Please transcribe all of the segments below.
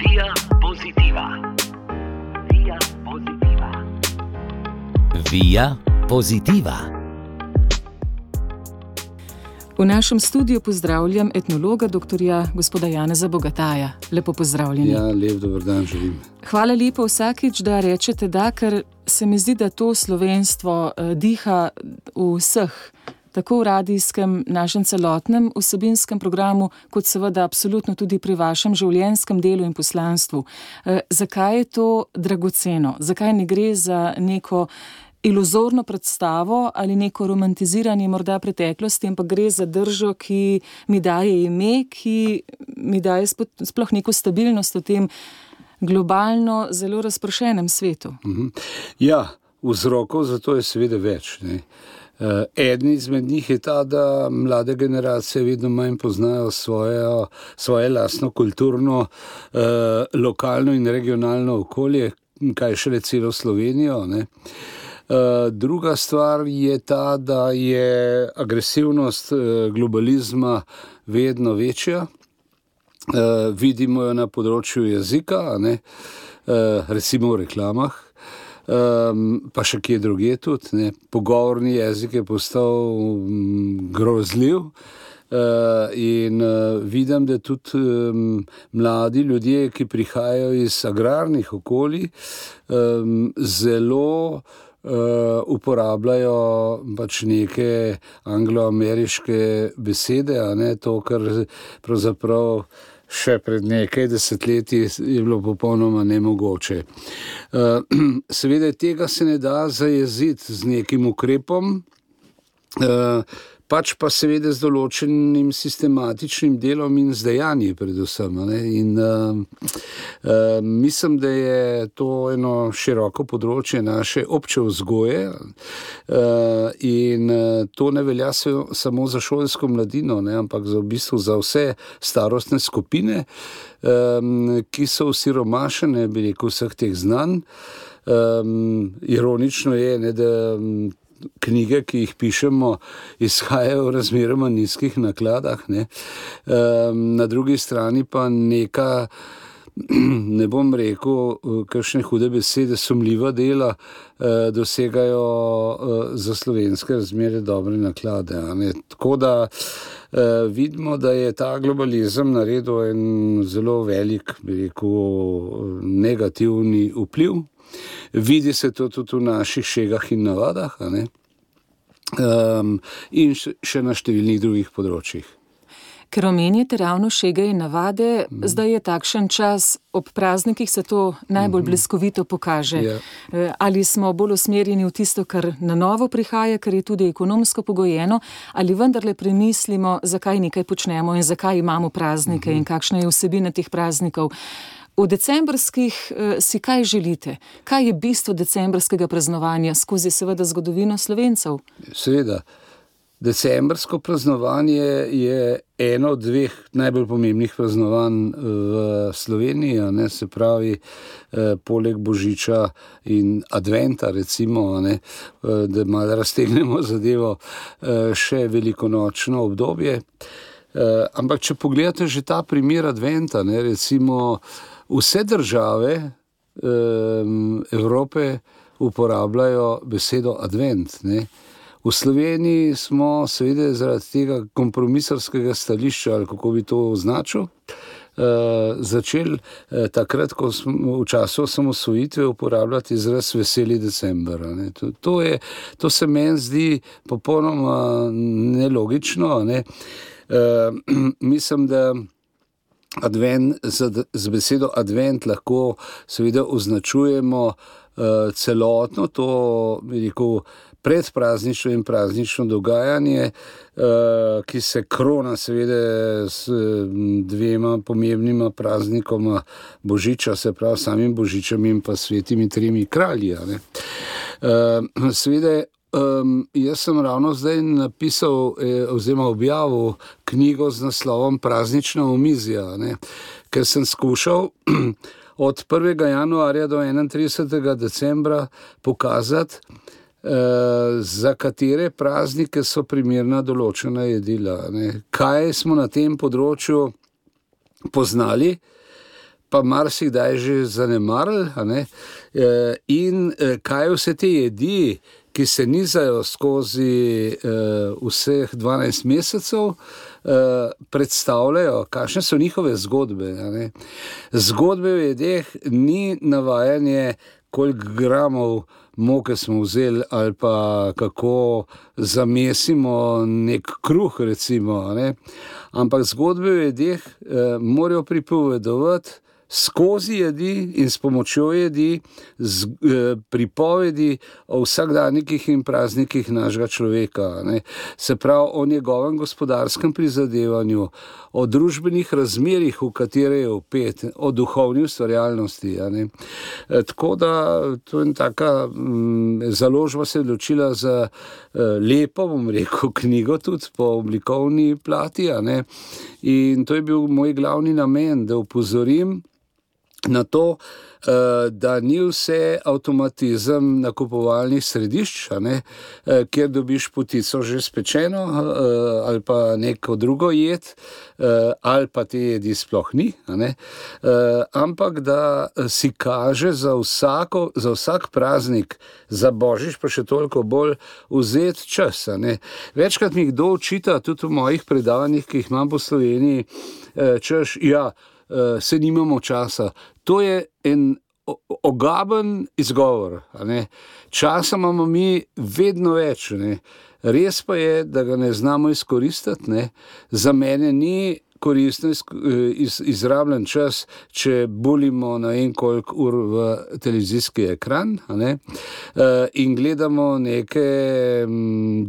Via Positiva. Via Positiva. Via Positiva. V našem studiu pozdravljam etnologa doktorja gospoda Janeza Bogataja. Lepo pozdravljeni. Ja, lep dober dan želim. Hvala lepo vsakič, da rečete da, ker se mi zdi, da to slovenstvo diha v vseh, tako v radijskem, našem celotnem vsebinskem programu, kot seveda absolutno tudi pri vašem življenjskem delu in poslanstvu. Zakaj je to dragoceno? Zakaj ne gre za neko iluzorno predstavo ali neko romantiziranje morda preteklosti, ampak gre za držo, ki mi daje ime, ki mi daje sploh neko stabilnost v tem globalno zelo razpršenem svetu? Ja, vzrokov za to je seveda več, ne. Eden izmed njih je ta, da mlade generacije vedno manj poznajo svoje lastno kulturno, lokalno in regionalno okolje, kaj šele celo Slovenijo, ne. Druga stvar je ta, da je agresivnost globalizma vedno večja. Vidimo jo na področju jezika, ne, recimo v reklamah, pa še kje drugje tudi, ne. Pogovorni jezik je postal grozljiv in vidim, da tudi mladi ljudje, ki prihajajo iz agrarnih okolij, zelo uporabljajo pač neke angloameriške besede, a ne to, kar pravzaprav še pred nekaj desetletji je bilo popolnoma nemogoče. Seveda tega se ne da zajeziti z nekim ukrepom, pač pa seveda z določenim sistematičnim delom in z dejanji predvsem, ne? In mislim, da je to eno široko področje naše obče vzgoje in to ne velja samo za šolsko mladino, ne? Ampak v bistvu za vse starostne skupine, ki so osiromašene, bi rekel, vseh teh znanj. Ironično je, ne, da knjige, ki jih pišemo, izhajajo v razmeroma nizkih nakladah, ne. Na drugi strani pa neka, ne bom rekel, kakšne hude besede, sumljiva dela dosegajo za slovenske razmere dobre naklade, a ne. Tako da vidimo, da je ta globalizem naredil en zelo velik, bi rekel, negativni vpliv. Vidi se to tudi v naših šegah in navadah, a ne? In še na številnih drugih področjih. Ker omenjate ravno šege in navade, zdaj je takšen čas, ob praznikih se to najbolj bliskovito pokaže. Ja. Ali smo bolj usmerjeni v tisto, kar na novo prihaja, ker je tudi ekonomsko pogojeno, ali vendarle premislimo, zakaj nekaj počnemo in zakaj imamo praznike in kakšna je vsebina teh praznikov. V decembrskih si kaj želite? Kaj je bistvo decembrskega praznovanja skozi seveda zgodovino Slovencev? Seveda. Decembrsko praznovanje je eno od dveh najbolj pomembnih praznovanj v Sloveniji, ne, se pravi, poleg Božiča in Adventa, recimo, ne, da malo raztegnemo zadevo, še velikonočno obdobje. Ampak če pogledate že ta primer Adventa, ne, recimo, vse države Evrope uporabljajo besedo advent, ne. V Sloveniji smo seveda zaradi tega kompromisarskega stališča, ali kako bi to označil, začeli takrat, ko smo v času osamosvojitve uporabljati izraz veseli december, ne. To se meni zdi popolnoma nelogično, ne. Mislim, da z besedo advent lahko seveda označujemo celotno to, bi rekel, predpraznično in praznično dogajanje, ki se krona seveda s dvema pomembnima praznikoma Božiča, se pravi samim Božičem in pa svetimi tremi kralji, ne. Seveda jaz sem ravno zdaj napisal oziroma objavil knjigo z naslovom Praznična omizja, ne, ker sem skušal od 1. januarja do 31. decembra pokazati, za katere praznike so primerna določena jedila, ne. Kaj smo na tem področju poznali, pa marsikdaj že zanemarili, a ne, in kaj vse te jedi, ki se nizajo skozi vseh 12 mesecev, predstavljajo, kakšne so njihove zgodbe, a ne. Zgodbe v jedeh ni navajanje, koliko gramov moke smo vzeli ali pa kako zamesimo nek kruh, recimo, a ne. Ampak zgodbe v jedeh morajo pripovedovati skozi jedi in s pomočjo jedi pripovedi o vsakdanjikih in praznikih našega človeka, ne. Se pravi o njegovem gospodarskem prizadevanju, o družbenih razmerjih, v katere je vpet, o duhovni ustvarjalnosti, a ne. Tako da to je taka založba se je odločila za lepo, bom rekel, knjigo tudi po oblikovni plati, a ne. In to je bil moj glavni namen, da opozorim na to, da ni vse avtomatizem nakupovalnih središč, a ne, kjer dobiš potico že spečeno ali pa neko drugo jed, ali pa te jedi sploh ni, a ne, ampak da si kaže za vsak praznik, za Božič pa še toliko bolj vzeti čas, a ne. Večkrat mi kdo očita, tudi v mojih predavanjih, ki jih imam po Sloveniji, češ, ja, se nimamo časa. To je en ogaben izgovor, a ne. Časa imamo mi vedno več, ne. Res pa je, da ga ne znamo izkoristiti, ne. Za mene ni koristno izrabljen čas, če bulimo na en koliko ur v televizijski ekran, a ne, in gledamo neke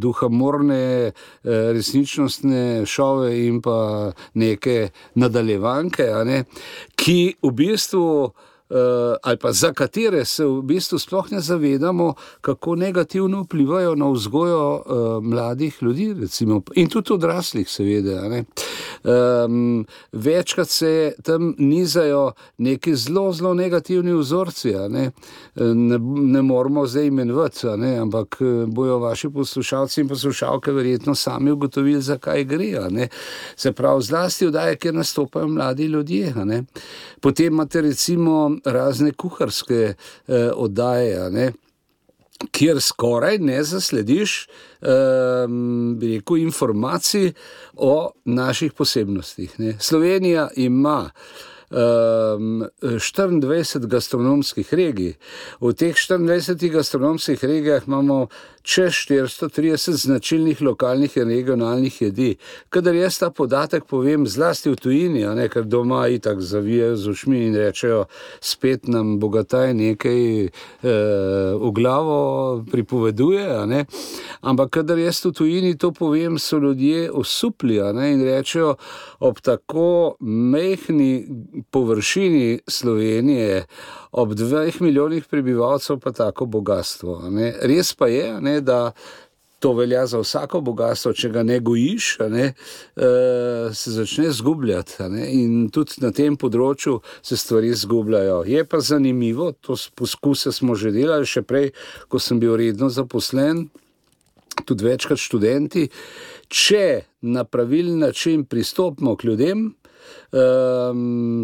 duhamorne resničnostne šove in pa neke nadaljevanke, a ne, ki v bistvu ali pa za katere se v bistvu sploh ne zavedamo, kako negativno vplivajo na vzgojo mladih ljudi, recimo, in tudi odraslih, seveda, a ne. Večkrat se tam nizajo neki zelo negativni vzorci, a ne. Ne moramo zdaj imenovati, a ne, ampak bojo vaši poslušalci in poslušalke verjetno sami ugotovili, zakaj gre, a ne. Se pravi, zlasti oddaje, kjer nastopajo mladi ljudje, a ne. Potem imate recimo razne kuharske oddaje, a ne, kjer skoraj ne zaslediš bi rekel, informacij o naših posebnostih, ne. Slovenija ima 24 gastronomskih regij. V teh 24 gastronomskih regijah imamo čez 430 značilnih lokalnih in regionalnih jedi. Kadar jaz ta podatek povem zlasti v tujini, a ne, ker doma itak zavijajo z ušmi in rečejo, spet nam Bogataj nekaj v glavo pripoveduje, a ne. Ampak kadar jaz v tujini to povem, so ljudje osupli, a ne, in rečejo, ob tako majhni površini Slovenije, ob 2 milijonih prebivalcev pa tako bogatstvo, a ne. Res pa je, a ne, da to velja za vsako bogatstvo, če ga ne gojiš, a ne, se začne zgubljati, a ne, in tudi na tem področju se stvari zgubljajo. Je pa zanimivo, to poskuse smo že delali, še prej, ko sem bil redno zaposlen, tudi večkrat študenti, če na pravilen način pristopimo k ljudem,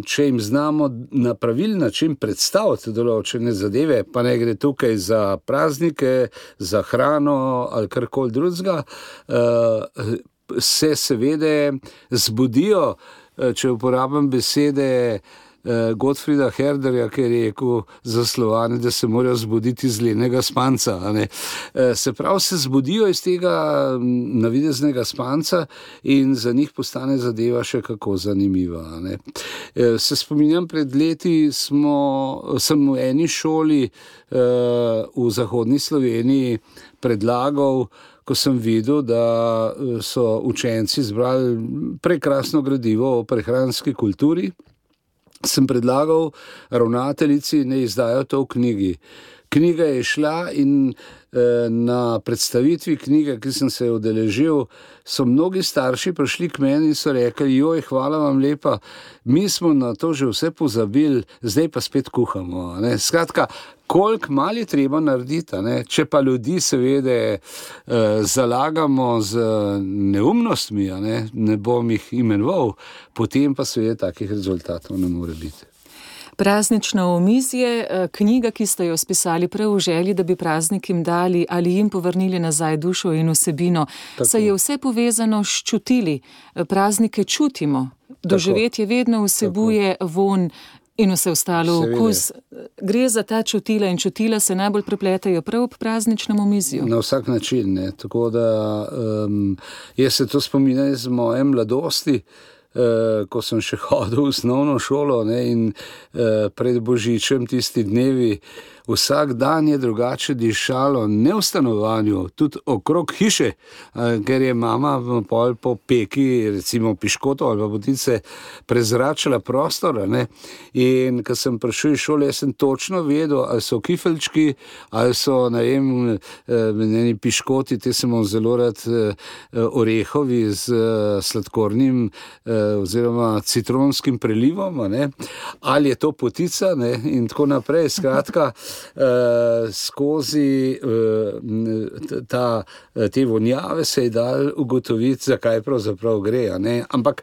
če jim znamo na pravilen način predstaviti določene zadeve, pa ne gre tukaj za praznike, za hrano ali karkoli drugega, se seveda zbudijo, če uporabim besede Gottfrieda Herderja, ki je rekel za Slovane, da se morajo zbuditi iz lenega spanca, a ne. Se pravi, se zbudijo iz tega navideznega spanca in za njih postane zadeva še kako zanimiva, a ne. Se spominjam, pred leti sem v eni šoli v zahodni Sloveniji predlagal, ko sem videl, da so učenci zbrali prekrasno gradivo o prehranski kulturi, sem predlagal ravnateljici, ne izdajo to v knjigi. Knjiga je šla in na predstavitvi knjige, ki sem se udeležil, so mnogi starši prišli k meni in so rekli, joj, hvala vam lepa, mi smo na to že vse pozabili, zdaj pa spet kuhamo, ne. Skratka, koliko malo je treba narediti, ne? Če pa ljudi seveda zalagamo z neumnostmi, ne bom jih imenoval, potem pa seveda takih rezultatov ne more biti. Praznično omizje, knjiga, ki ste jo spisali prav v želji, da bi praznikom dali ali jim povrnili nazaj dušo in vsebino. Saj je vse povezano s čutili. Praznike čutimo. Doživetje vedno vsebuje vonj in vse ostalo okus. Gre za ta čutila in čutila se najbolj prepletajo prav ob prazničnem omizju. Na vsak način, ne. Tako da jaz se to spominjam iz moje mladosti, ko sem še hodil v osnovno šolo, ne, in pred Božičem tisti dnevi, vsak dan je drugače dišalo, ne v stanovanju, tudi okrog hiše, ker je mama pol po peki, recimo piškoto ali pa potice, prezračala prostor, ne. In ko sem prišel iz šole, jaz sem točno vedel, ali so kifelčki, ali so, ne vem, piškoti, te sem zelo rad orehovi z sladkornim oziroma citronskim prelivom, ne, ali je to potica, ne, in tako naprej. Skratka, skozi te vonjave se je dal ugotoviti, zakaj pravzaprav gre, ne. Ampak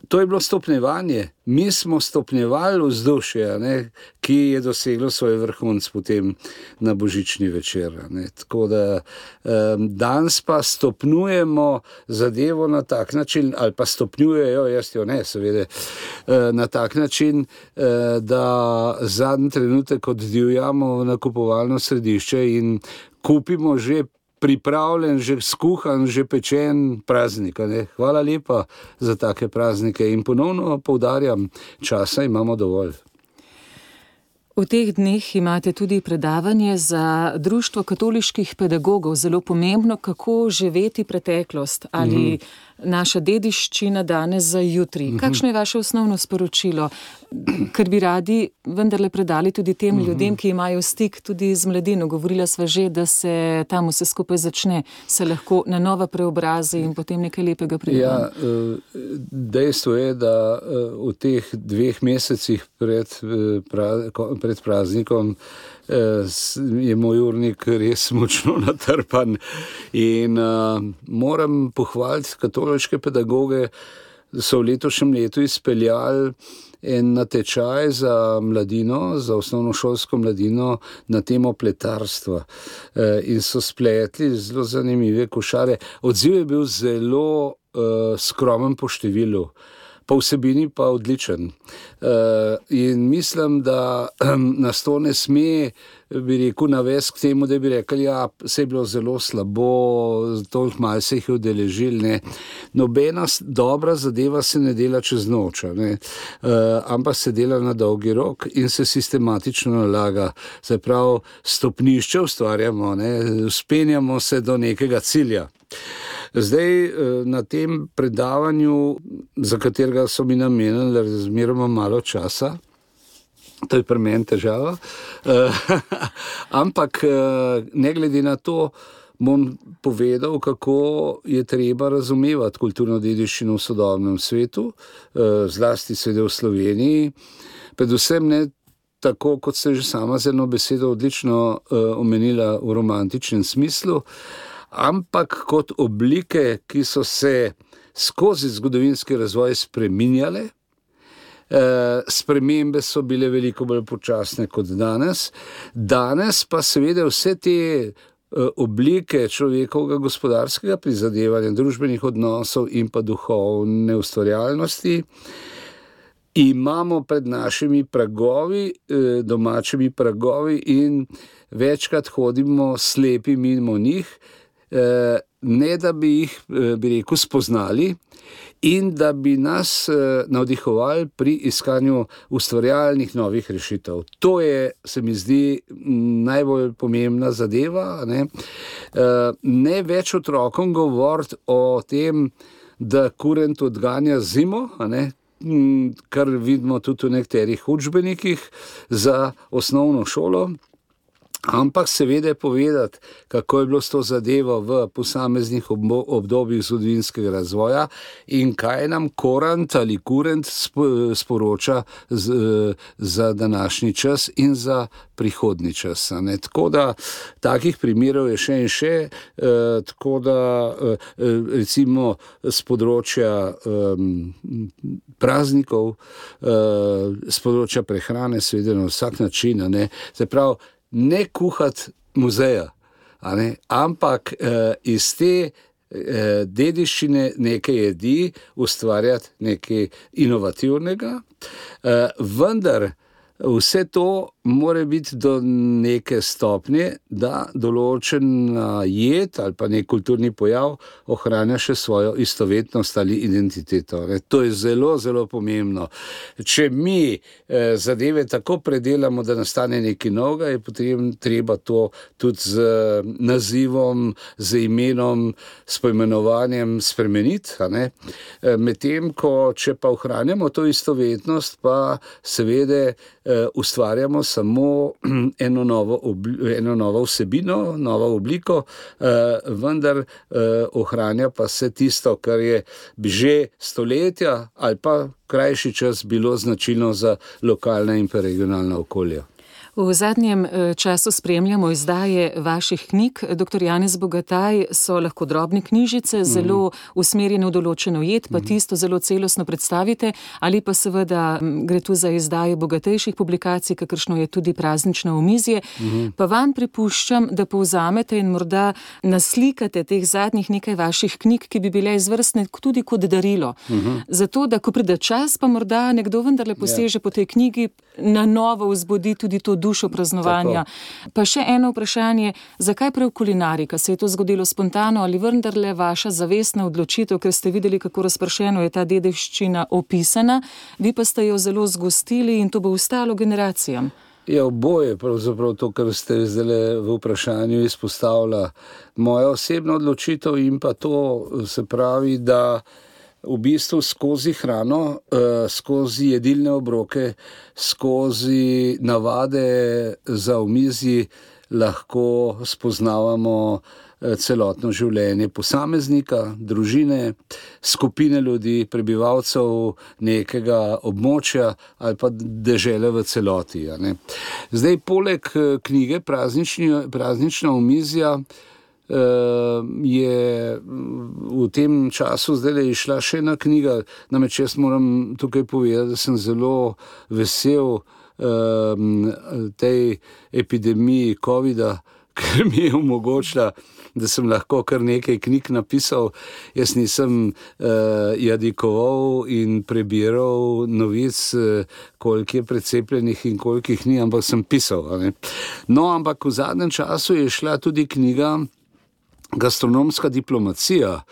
to je bilo stopnjevanje. Mi smo stopnjevali vzdušje, ne, ki je doseglo svoj vrhunec potem na božični večer. Ne. Tako da danes pa stopnjujemo zadevo na tak način, ali pa stopnjujejo, jaz jo ne, seveda, na tak način, da zadnji trenutek oddivjamo v nakupovalno središče in kupimo že pripravljen, že skuhan, že pečen praznik. Ne? Hvala lepa za take praznike in ponovno poudarjam, časa imamo dovolj. V teh dneh imate tudi predavanje za Društvo katoliških pedagogov, zelo pomembno, kako živeti preteklost ali naša dediščina danes za jutri. Kakšno je vaše osnovno sporočilo, ker bi radi vendarle predali tudi tem ljudem, ki imajo stik tudi z mladino? Govorila sva že, da se tam vse skupaj začne, se lahko na nova preobrazi in potem nekaj lepega pride. Ja, dejstvo je, da v teh 2 mesecih pred praznikom je moj urnik res močno natrpan in moram pohvaliti katoliške pedagoge, da so v letošnjem letu izpeljali en natečaj za mladino, za osnovnošolsko mladino na temo pletarstva in so spletli zelo zanimive košare. Odziv je bil zelo skromen po številu, po vsebini pa odličen. In mislim, da nas to ne sme, bi rekel, navesti k temu, da bi rekli, ja, se je bilo zelo slabo, toliko malo se jih je udeležili, ne. Nobena dobra zadeva se ne dela čez noč, ne. Ampak se dela na dolgi rok in se sistematično nalaga. Se pravi, stopnišče ustvarjamo, ne, vzpenjamo se do nekega cilja. Zdaj, na tem predavanju, za katerega so mi namenili razmeroma malo časa, to je pri meni težava, ampak ne glede na to, bom povedal, kako je treba razumevati kulturno dediščino v sodobnem svetu, zlasti seveda v Sloveniji, predvsem ne tako, kot ste že sama z eno besedo odlično omenila v romantičnem smislu, ampak kot oblike, ki so se skozi zgodovinski razvoj spreminjale. Spremembe so bile veliko bolj počasne kot danes. Danes pa seveda vse te oblike človekovega gospodarskega prizadevanja, družbenih odnosov in pa duhovne ustvarjalnosti imamo pred našimi pragovi, domačimi pragovi in večkrat hodimo slepi mimo njih, ne da bi jih, bi rekel, spoznali in da bi nas navdihovali pri iskanju ustvarjalnih novih rešitev. To je, se mi zdi, najbolj pomembna zadeva, ne. Ne več otrokom govoriti o tem, da kurent odganja zimo, ne, kar vidimo tudi v nekaterih učbenikih za osnovno šolo, Ampak seveda povedati, kako je bilo s to zadevo v posameznih obdobjih zgodovinskega razvoja in kaj nam Korant ali Kurent sporoča za današnji čas in za prihodnji čas. Tako da takih primerov je še in še, tako da recimo z področja praznikov, z področja prehrane, seveda na vsak način, se pravi, ne kuhati muzeja, ampak iz te dediščine neke jedi ustvarjati nekaj inovativnega, vendar vse to mora biti do neke stopnje, da določena jed ali pa nek kulturni pojav ohranja še svojo istovetnost ali identiteto. To je zelo, zelo pomembno. Če mi zadeve tako predelamo, da nastane nekaj novega, je potem treba to tudi z nazivom, z imenom, s poimenovanjem spremeniti. Medtem ko, če pa ohranjamo to istovetnost, pa seveda ustvarjamo samo eno novo vsebino, novo obliko, vendar ohranja pa se tisto, kar je že stoletja ali pa krajši čas bilo značilno za lokalna in pa regionalna okolja. V zadnjem času spremljamo izdaje vaših knjig. Dr. Janez Bogataj, so lahko drobne knjižice, zelo usmerjene v določeno jed, pa tisto zelo celostno predstavite, ali pa seveda gre tu za izdaje bogatejših publikacij, kakršno je tudi praznično omizje. Pa vam pripuščam, da povzamete in morda naslikate teh zadnjih nekaj vaših knjig, ki bi bile izvrstne tudi kot darilo. Zato, da ko pride čas, pa morda nekdo vendarle poseže po tej knjigi, na novo vzbudi tudi to dušo praznovanja. Tako. Pa še eno vprašanje, zakaj prav kulinarika? Se je to zgodilo spontano ali vendarle vaša zavestna odločitev, ker ste videli, kako razpršeno je ta dediščina opisana, vi pa ste jo zelo zgostili in to bo ostalo generacijam? Ja, oboje, pravzaprav to, kar ste zdaj v vprašanju izpostavila. Moja osebna odločitev in pa to, se pravi, da v bistvu skozi hrano, skozi jedilne obroke, skozi navade za omizji lahko spoznavamo celotno življenje posameznika, družine, skupine ljudi, prebivalcev nekega območja ali pa dežele v celoti. Zdaj, poleg knjige Praznična omizja je v tem času zdaj išla še ena knjiga, namreč jaz moram tukaj povedati, da sem zelo vesel tej epidemiji covida, ker mi je omogočila, da sem lahko kar nekaj knjig napisal. Jaz nisem jadikoval in prebiral novic, koliko je precepljenih in koliko jih ni, ampak sem pisal. No, ampak v zadnjem času je šla tudi knjiga Gastronomska diplomacija,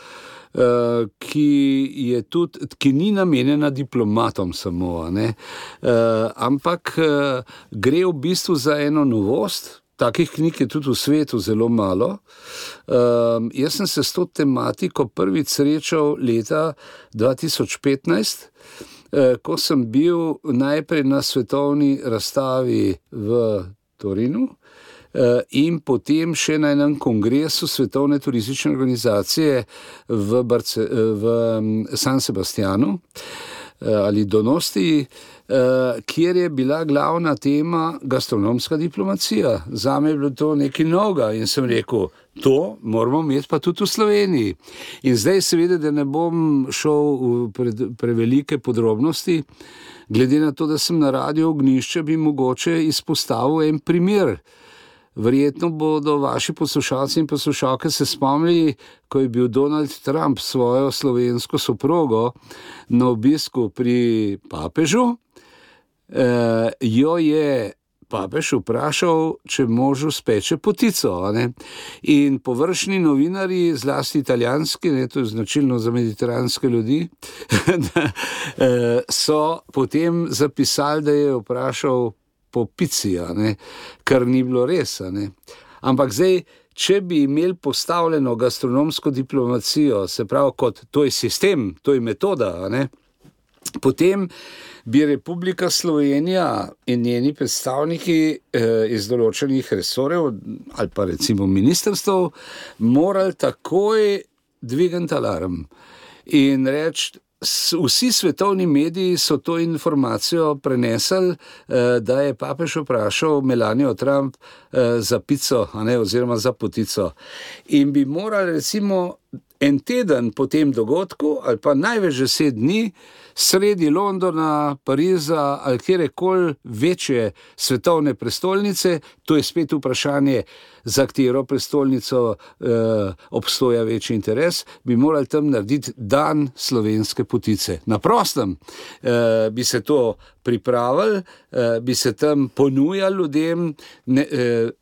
ki ni namenjena diplomatom samo, ampak gre v bistvu za eno novost. Takih knjig je tudi v svetu zelo malo. Jaz sem se s to tematiko prvič srečal leta 2015, ko sem bil najprej na svetovni razstavi v Torinu, in potem še na enem kongresu Svetovne turistične organizacije v San Sebastianu ali Donosti, kjer je bila glavna tema gastronomska diplomacija. Zame je bilo to nekaj novega in sem rekel, to moramo imeti pa tudi v Sloveniji. In zdaj seveda, da ne bom šel v prevelike podrobnosti, glede na to, da sem na Radiu Ognjišče, bi mogoče izpostavil en primer. Verjetno bodo vaši poslušalci in poslušalke se spomnili, ko je bil Donald Trump svojo slovensko soprogo na obisku pri papežu, jo je papež vprašal, če možu speče potico. In površni novinarji, zlasti italijanski, to je značilno za mediteranske ljudi, so potem zapisali, da je vprašal po pici, kar ni bilo res. Ampak zdaj, če bi imeli postavljeno gastronomsko diplomacijo, se pravi kot to je sistem, to je metoda, Potem bi Republika Slovenija in njeni predstavniki iz določenih resorjev ali pa recimo ministrstv morali takoj dvigati alarm in reči, vsi svetovni mediji so to informacijo prenesli, da je papež vprašal Melanijo Trump za pico, oziroma za potico. In bi morali recimo en teden po tem dogodku ali pa največ 10 dni sredi Londona, Pariza ali kjerekoli večje svetovne prestolnice, to je spet vprašanje, za katero prestolnico obstoja večji interes, bi morali tam narediti dan slovenske potice. Na prostem bi se to pripravili, bi se tam ponujali ljudem,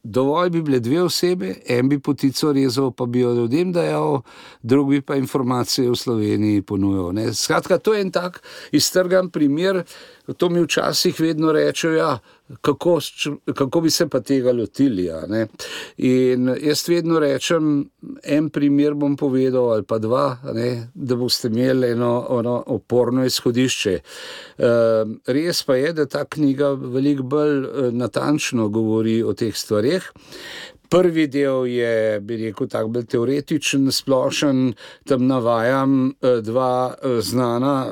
dovolj bi bile 2 osebe, en bi potico rezal, pa bi jo ljudem dajal, drug bi pa informacije v Sloveniji ponujal. Skratka, to je en tak iztrgan primer, to mi včasih vedno rečejo, kako bi se pa tega lotili. In jaz vedno rečem, en primer bom povedal ali pa 2, da boste imeli eno oporno izhodišče. Res pa je, da ta knjiga veliko bolj natančno govori o teh stvareh. Prvi del je, bi rekel, tak bolj teoretičen, splošen, tam navajam 2 znana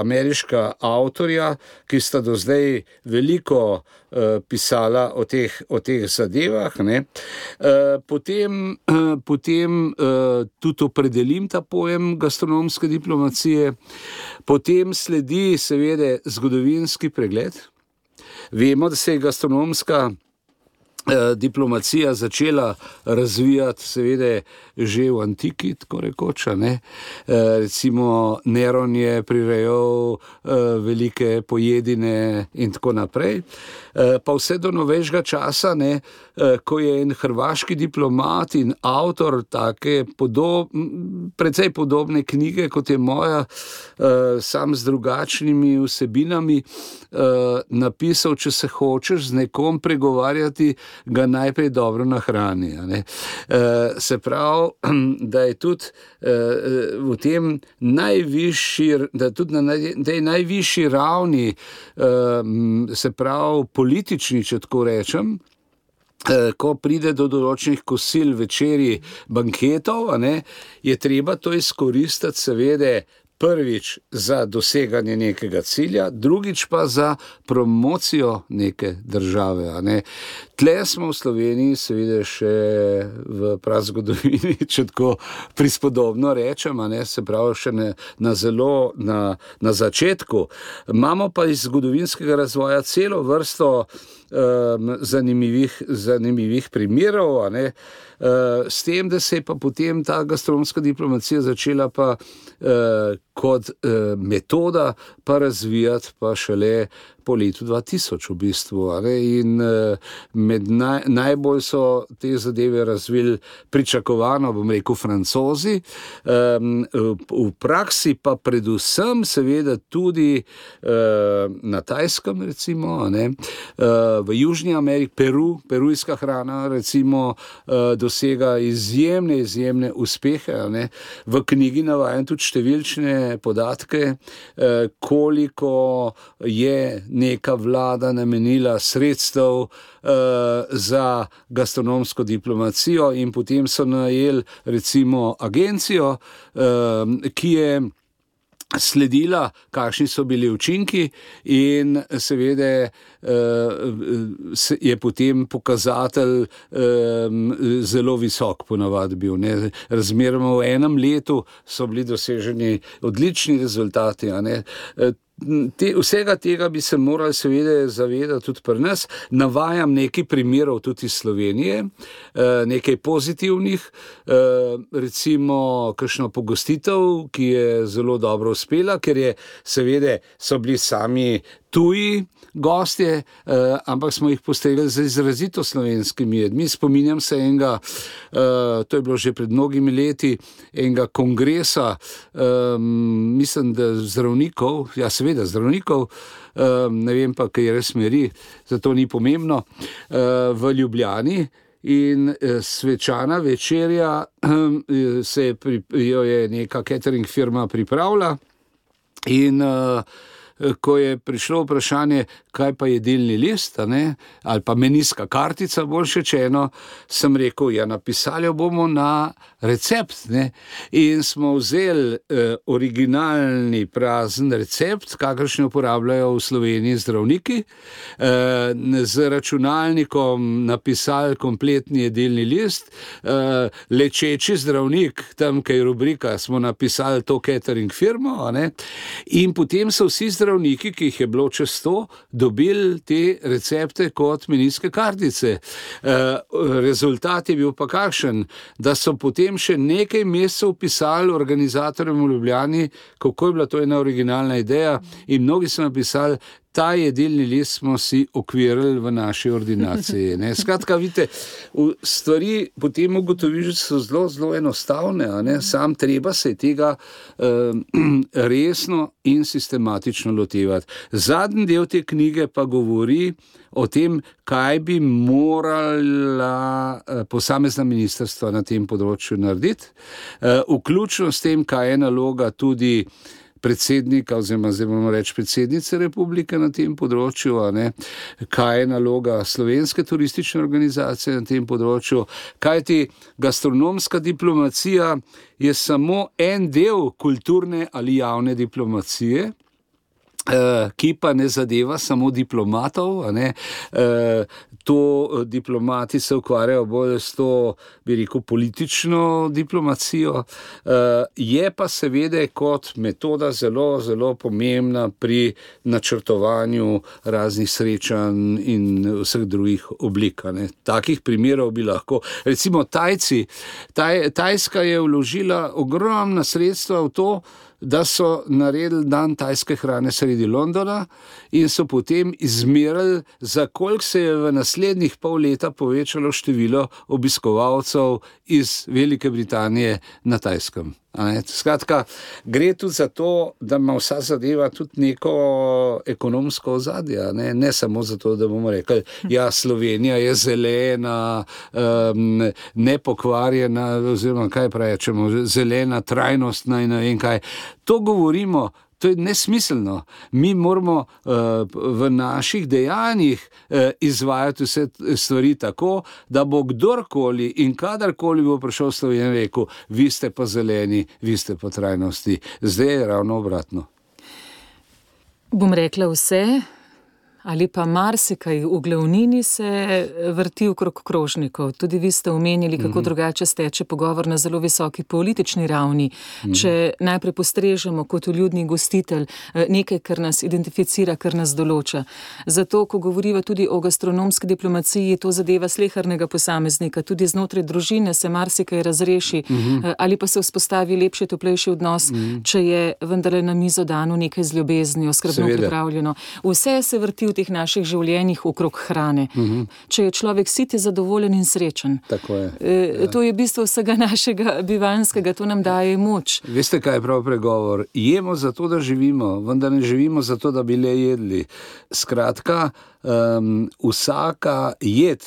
ameriška avtorja, ki sta do zdaj veliko pisala o teh zadevah. Potem tudi opredelim ta pojem gastronomske diplomacije. Potem sledi seveda zgodovinski pregled. Vemo, da se je gastronomska diplomacija začela razvijati seveda že v antiki, tako rekoč. Recimo Neron je prirejal velike pojedine in tako naprej. Pa vse do novejšega časa, ko je en hrvaški diplomat in avtor take precej podobne knjige, kot je moja, sam z drugačnimi vsebinami, napisal, če se hočeš z nekom pregovarjati, ga najprej dobro nahrani. Se pravi, da je tudi v tem najvišji ravni, se pravi politični, če tako rečem, ko pride do določenih kosil, večerji, banketov, je treba to izkoristiti seveda prvič za doseganje nekega cilja, drugič pa za promocijo neke države. Tle smo v Sloveniji seveda še v prazgodovini, če tako prispodobno rečem, se pravi še na začetku. Imamo pa iz zgodovinskega razvoja celo vrsto zanimivih primerov, s tem, da se je pa potem ta gastronomska diplomacija začela pa kot metoda pa razvijati pa šele po letu 2000 v bistvu. In med najbolj so te zadeve razvili pričakovano, bom rekel, Francozi, v praksi pa predvsem seveda tudi na Tajskem recimo, v Južni Ameriki, perujska hrana recimo dosega izjemne uspehe. V knjigi navajam tudi številčne podatke, koliko je neka vlada namenila sredstev za gastronomsko diplomacijo in potem so najeli recimo agencijo, ki je sledila, kakšni so bili učinki in seveda je potem pokazatelj zelo visok ponavadi bil. Razmeroma v enem letu so bili doseženi odlični rezultati. Vsega tega bi se morali seveda zavedati tudi pri nas. Navajam nekaj primerov tudi iz Slovenije, nekaj pozitivnih, recimo kakšno pogostitev, ki je zelo dobro uspela, ker je seveda so bili sami tuji gostje, ampak smo jih postregli z izrazito slovenskimi jedmi. Spominjam se enega, to je bilo že pred mnogimi leti, enega kongresa, mislim, da zdravnikov, ne vem pa, kaj res smeri, zato ni pomembno, v Ljubljani. In svečana večerja jo je neka catering firma pripravila In ko je prišlo vprašanje, kaj pa je delni list, ali pa menijska kartica, bolj rečeno, sem rekel, ja, napisali bomo na recept. In smo vzeli originalni prazen recept, kakršni uporabljajo v Sloveniji zdravniki, z računalnikom napisali kompletni delni list, lečeči zdravnik, tam, kaj je rubrika, smo napisali to catering firmo, in potem so vsi zdravniki, ki jih je bilo čez 100, dobili te recepte kot menijske kartice. Rezultat je bil pa kakšen, da so potem še nekaj mesecev pisali organizatorjem v Ljubljani, kako je bila to ena originalna ideja, in mnogi so napisali, ta jedilni list smo si okvirili v naši ordinaciji. Skratka, vidite, stvari potem ugotoviš, da so zelo, zelo enostavne, sam treba se tega resno in sistematično lotevati. Zadnji del te knjige pa govori o tem, kaj bi morala posamezna ministrstva na tem področju narediti, vključno s tem, kaj je naloga tudi predsednika, oziroma zdaj bomo reči predsednice republike na tem področju, kaj je naloga slovenske turistične organizacije na tem področju, kajti gastronomska diplomacija je samo en del kulturne ali javne diplomacije, ki pa ne zadeva samo diplomatov, to diplomati se ukvarjajo bolj s to, bi rekel, politično diplomacijo, je pa seveda kot metoda zelo, zelo pomembna pri načrtovanju raznih srečanj in vseh drugih oblik. Takih primerov bi lahko, recimo Tajska je vložila ogromna sredstva v to, da so naredili dan tajske hrane sredi Londona in so potem izmerili, za koliko se je v naslednjih pol leta povečalo število obiskovalcev iz Velike Britanije na Tajskem. Skratka, gre tudi za to, da ima vsa zadeva tudi neko ekonomsko ozadje, ne samo zato, da bomo rekli, ja, Slovenija je zelena, nepokvarjena, oziroma kaj rečemo, zelena, trajnostna in ne vem kaj. To govorimo, to je nesmiselno. Mi moramo v naših dejanjih izvajati vse stvari tako, da bo kdorkoli in kadarkoli bo prišel v Slovenijo in rekel, vi ste pa zeleni, vi ste pa trajnosti. Zdaj je ravno obratno. Bom rekla vse, ali pa marsikaj v glavnini se vrti okrog krožnikov. Tudi vi ste omenili, kako drugače steče pogovor na zelo visoki politični ravni. Če najprej postrežemo kot vljudni gostitelj nekaj, kar nas identificira, kar nas določa. Zato, ko govoriva tudi o gastronomski diplomaciji, to zadeva slehernega posameznika. Tudi znotraj družine se marsikaj razreši, ali pa se vzpostavi lepši, toplejši odnos, če je vendarle na mizo dano nekaj z ljubeznijo, skrbno pripravljeno. Vse se vrti v teh naših življenjih okrog hrane. Če je človek sit, je zadovoljen in srečen. Tako je. To je bistvo vsega našega bivanjskega, to nam daje moč. Veste, kaj je prav pregovor? Jemo zato, da živimo, vendar ne živimo zato, da bi le jedli. Skratka, vsaka jed,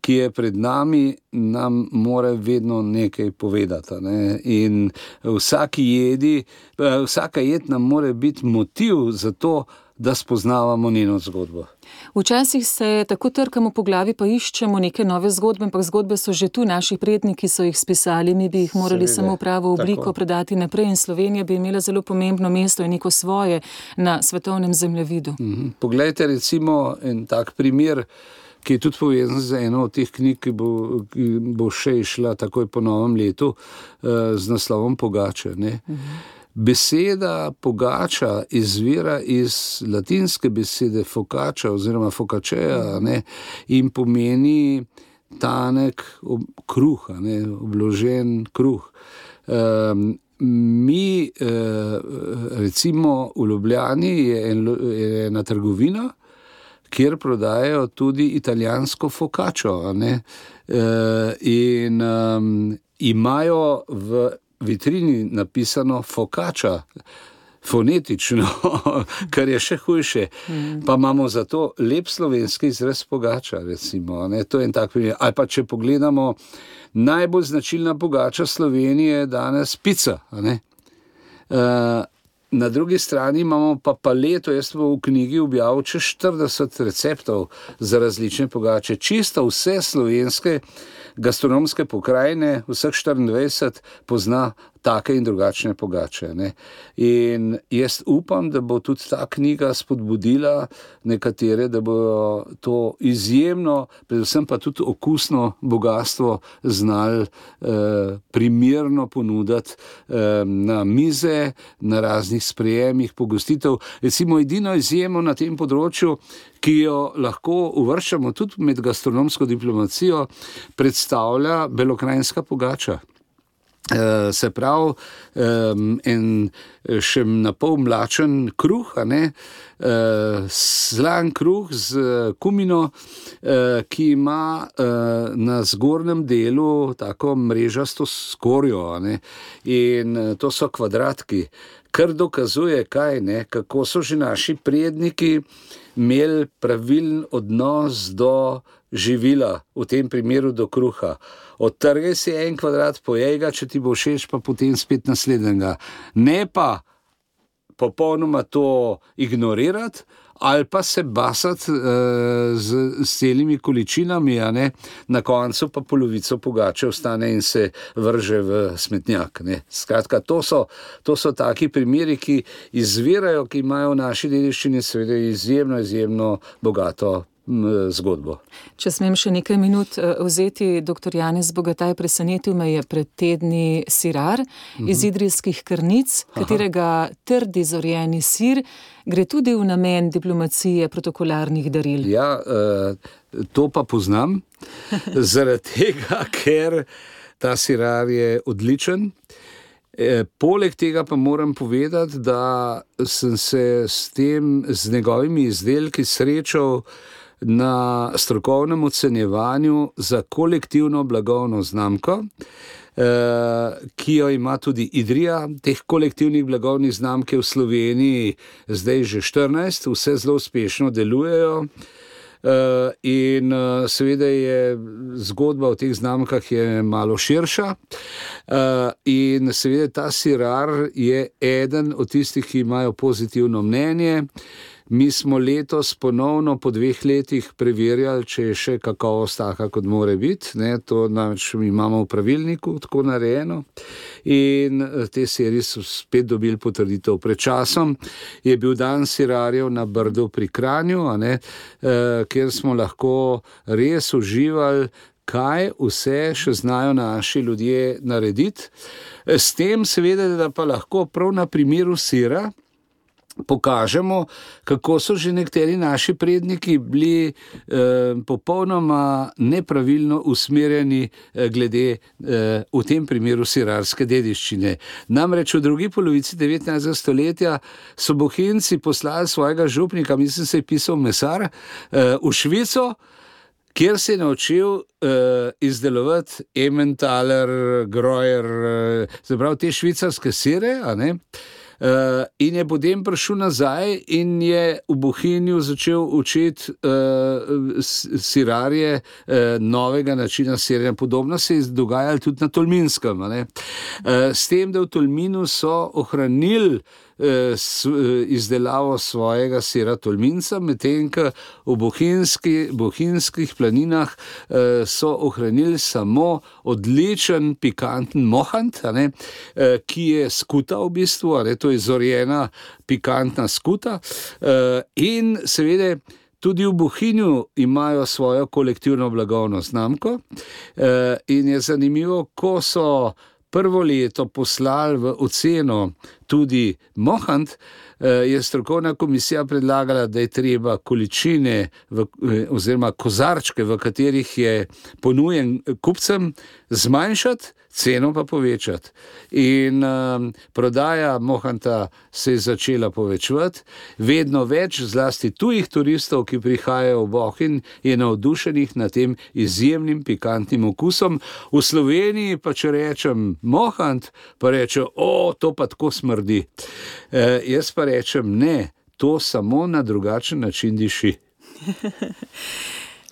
ki je pred nami, nam mora vedno nekaj povedati. In vsaka jed nam mora biti motiv za to, da spoznavamo njeno zgodbo. Včasih se tako trkamo po glavi, pa iščemo neke nove zgodbe, ampak zgodbe so že tu, naši predniki so jih spisali, mi bi jih morali samo v pravo obliko predati naprej in Slovenija bi imela zelo pomembno mesto in neko svoje na svetovnem zemljevidu. Poglejte recimo en tak primer, ki je tudi povezan z eno od teh knjig, ki bo še išla takoj po novem letu, z naslovom Pogača. Beseda pogača izvira iz latinske besede focaccia oziroma focaccia, in pomeni tanek kruh, obložen kruh. Mi, recimo v Ljubljani je ena trgovina, kjer prodajajo tudi italijansko focaccio, in imajo v vitrini napisano focaccia, fonetično, kar je še hujše. Pa imamo zato lep slovenski izraz pogača, recimo. To je en tak primer. Ali pa če pogledamo, najbolj značilna pogača Slovenije je danes pica. Na drugi strani imamo pa paleto, jaz v knjigi objavil čez 40 receptov za različne pogače, čisto vse slovenske gastronomske pokrajine, vseh 24 pozna take in drugačne pogače. Ne. In jaz upam, da bo tudi ta knjiga spodbudila nekatere, da bodo to izjemno, predvsem pa tudi okusno bogastvo znali primerno ponuditi na mize, na raznih sprejemih, pogostitev. Recimo edino izjemo na tem področju, ki jo lahko uvrščamo tudi med gastronomsko diplomacijo, predstavlja belokranjska pogača. Se pravi, en še napol mlačen kruh, slan kruh z kumino, ki ima na zgornjem delu tako mrežasto skorjo, in to so kvadratki, kar dokazuje kaj, kako so že naši predniki imeli pravilen odnos do živila, v tem primeru do kruha. Odtrgaj si en kvadrat, pojej ga, če ti bo všeč, pa potem spet naslednjega. Ne pa popolnoma to ignorirati ali pa se basati z celimi količinami, na koncu pa polovico pogače ostane in se vrže v smetnjak. Skratka, to so taki primeri, ki izvirajo, ki imajo v naši dediščini seveda izjemno bogato zgodbo. Če smem še nekaj minut vzeti, dr. Janez Bogataj, presenetil me je pred tedni sirar iz idrijskih Krnic, katerega trdi zorjeni sir gre tudi v namen diplomacije protokolarnih daril. Ja, to pa poznam, zaradi tega, ker ta sirar je odličen. Poleg tega pa moram povedati, da sem se z njegovimi izdelki srečal na strokovnem ocenjevanju za kolektivno blagovno znamko, ki jo ima tudi Idrija. Teh kolektivnih blagovnih znamk je v Sloveniji zdaj že 14, vse zelo uspešno delujejo. In seveda je zgodba o teh znamkah je malo širša in seveda ta sirar je eden od tistih, ki imajo pozitivno mnenje. Mi smo letos ponovno po 2 letih preverjali, če je še kakovost taka, kot more biti. To namreč imamo v pravilniku tako narejeno. In te serije so spet dobili potrditev. Pred časom je bil dan sirarjev na Brdu pri Kranju, kjer smo lahko res uživali, kaj vse še znajo naši ljudje narediti. S tem seveda, da pa lahko prav na primeru sira pokažemo, kako so že nekateri naši predniki bili popolnoma nepravilno usmerjeni glede v tem primeru sirarske dediščine. Namreč v drugi polovici 19. stoletja so Bohinjci poslali svojega župnika, mislim se je pisal Mesar, v Švico, kjer se je naučil izdelovati Emmentaler, Greuer, zaprav te švicarske sire, in je potem prišel nazaj in je v Bohinju začel učiti sirarje novega načina siranja. Podobno se je dogajalo tudi na Tolminskem. S tem, da v Tolminu so ohranili izdelavo svojega sira Tolminca, medtem ko v bohinjskih planinah so ohranili samo odličen pikanten mohant, ki je skuta v bistvu, to je zorjena pikantna skuta, in seveda tudi v Bohinju imajo svojo kolektivno blagovno znamko in je zanimivo, ko so prvo leto poslali v oceno tudi mohant, je strokovna komisija predlagala, da je treba količine oziroma kozarčke, v katerih je ponujen kupcem, zmanjšati, ceno pa povečati. In prodaja mohanta se je začela povečevati, vedno več, zlasti tujih turistov, ki prihajajo v Bohinj, je navdušenih nad tem izjemnim pikantnim okusom. V Sloveniji pa če rečem mohant, pa rečejo, to pa tako smrdi. Jaz pa rečem, ne, to samo na drugačen način diši.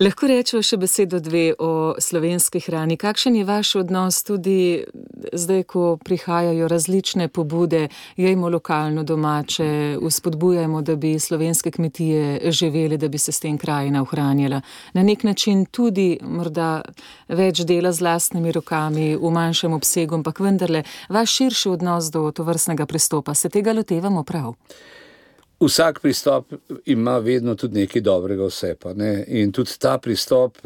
Lahko rečemo še besedo dve o slovenski hrani. Kakšen je vaš odnos tudi zdaj, ko prihajajo različne pobude, jejmo lokalno domače, vzpodbujamo, da bi slovenske kmetije živeli, da bi se s tem krajina ohranjala. Na nek način tudi morda več dela z lastnimi rokami, v manjšem obsegu, ampak vendarle vaš širši odnos do tovrstnega pristopa. Se tega lotevamo prav? Vsak pristop ima vedno tudi nekaj dobrega vse pa, ne? In tudi ta pristop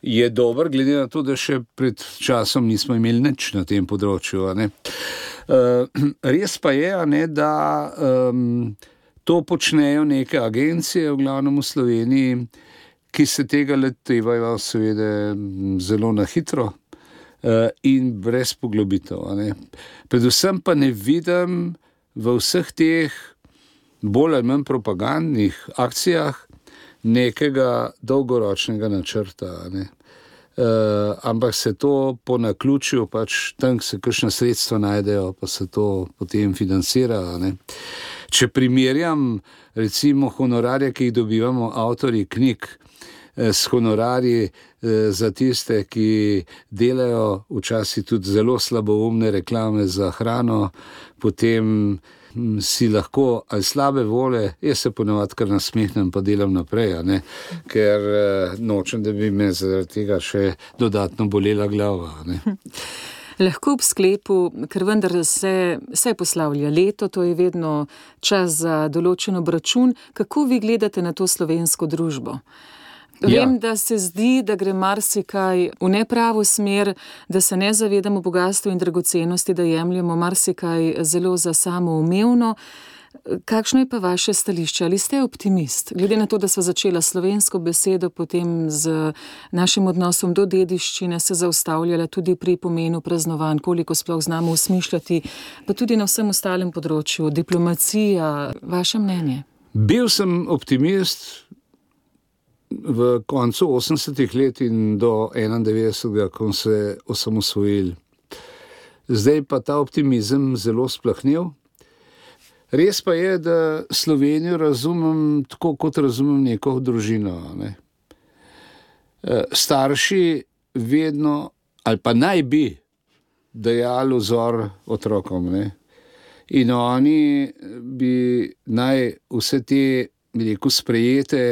je dober, glede na to, da še pred časom nismo imeli nič na tem področju. Ne? Res pa je, ne, da to počnejo neke agencije, v glavnem v Sloveniji, ki se tega lotevajo seveda zelo na hitro in brez poglobitev. Ne? Predvsem pa ne vidim v vseh teh bolj ali manj propagandnih akcijah nekega dolgoročnega načrta. Ne? Ampak se to po naključju, pač tam se kakšna sredstva najdejo, pa se to potem financira. Ne? Če primerjam recimo honorarje, ki jih dobivamo avtorji knjig, s honorarji za tiste, ki delajo včasih tudi zelo slaboumne reklame za hrano, potem si lahko ali slabe vole, jaz se ponavadi kar nasmehnem pa delam naprej, ne? Ker nočem, da bi me zaradi tega še dodatno bolela glava. Ne? Lahko ob sklepu, ker vendar se poslavlja leto, to je vedno čas za določen obračun, kako vi gledate na to slovensko družbo? Vem, da se zdi, da gre marsikaj v nepravo smer, da se ne zavedamo bogastva in dragocenosti, da jemljemo marsikaj zelo za samoumevno. Kakšno je pa vaše stališče? Ali ste optimist? Glede na to, da sva začela slovensko besedo, potem z našim odnosom do dediščine se zaustavljala tudi pri pomenu praznovanj, koliko sploh znamo usmišljati, pa tudi na vsem ostalem področju, diplomacija, vaše mnenje? Bil sem optimist v koncu 80-ih let in do 91. ko se osamosvojili. Zdaj pa ta optimizem zelo splahnel. Res pa je, da Slovenijo razumem tako, kot razumem neko družino. Ne? Starši vedno, ali pa naj bi, dajali vzor otrokom. Ne? In oni bi naj vse te, bi rekel, sprejete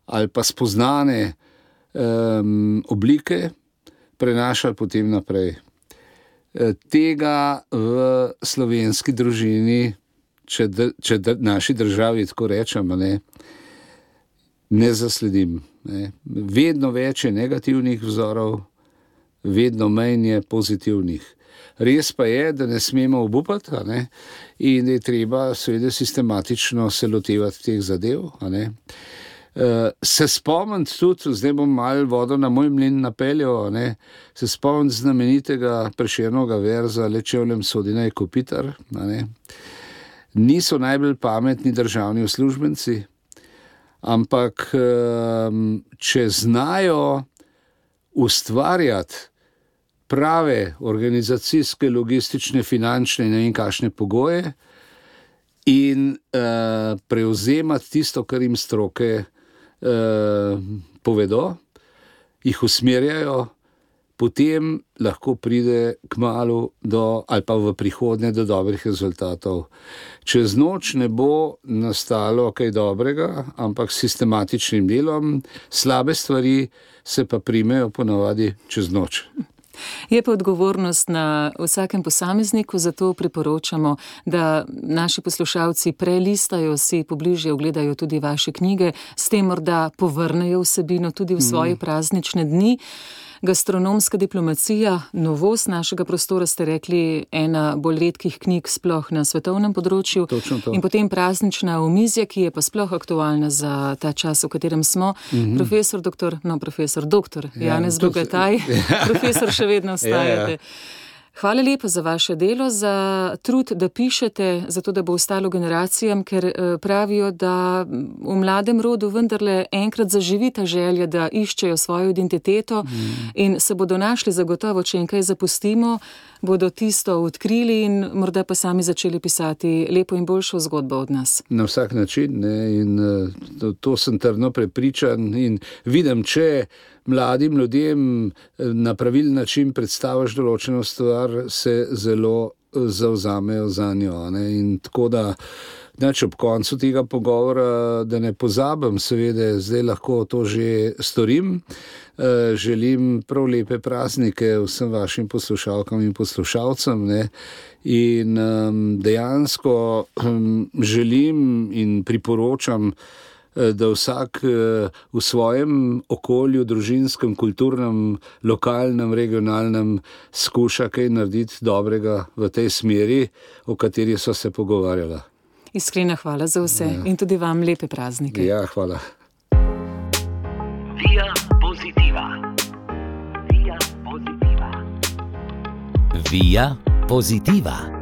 ali pa spoznane oblike prenašali potem naprej. Tega v slovenski družini, če naši državi tako rečemo, ne zasledim. Ne. Vedno več je negativnih vzorov, vedno manj je pozitivnih. Res pa je, da ne smemo obupati, in da je treba seveda sistematično se lotevati teh zadev. Se spomniti tudi, zdaj bom malo vodo na moj mlin napeljal, se spomniti znamenitega Prešernovega verza Le čevljem sodi naj kopitar. Niso najbolj pametni državni uslužbenci, ampak če znajo ustvarjati prave organizacijske, logistične, finančne in ne vem kakšne pogoje in prevzemati tisto, kar jim stroke povedo, jih usmerjajo, potem lahko pride kmalu ali pa v prihodnje do dobrih rezultatov. Čez noč ne bo nastalo kaj dobrega, ampak s sistematičnim delom, slabe stvari se pa primejo ponavadi čez noč. Je pa odgovornost na vsakem posamezniku, zato priporočamo, da naši poslušalci prelistajo si, pobližje ogledajo tudi vaše knjige, s tem morda povrnejo vsebino tudi v svoje praznične dni. Gastronomska diplomacija, novost našega prostora, ste rekli, ena bolj redkih knjig sploh na svetovnem področju. In potem praznična omizja, ki je pa sploh aktualna za ta čas, v katerem smo. Profesor doktor Janez Bogataj, profesor še vedno ostajate. Hvala lepa za vaše delo, za trud, da pišete, zato da bo ostalo generacijam, ker pravijo, da v mladem rodu vendarle enkrat zaživi ta želja, da iščejo svojo identiteto in se bodo našli zagotovo, če jim kaj zapustimo, bodo tisto odkrili in morda pa sami začeli pisati lepo in boljšo zgodbo od nas. Na vsak način, ne, in to sem trdno prepričan in vidim, če mladim ljudem na pravilen način predstaviš določeno stvar, se zelo zavzamejo za njo. Ne, in tako da ob koncu tega pogovora, da ne pozabim, seveda, zdaj lahko to že storim. Želim prav lepe praznike vsem vašim poslušalkam in poslušalcem, ne? In dejansko želim in priporočam, da vsak v svojem okolju, družinskem, kulturnem, lokalnem, regionalnem skuša kaj narediti dobrega v tej smeri, o kateri so se pogovarjala. Iskrena hvala za vse in tudi vam lepe praznike. Ja, hvala. Via Positiva. Via Positiva. Via Positiva.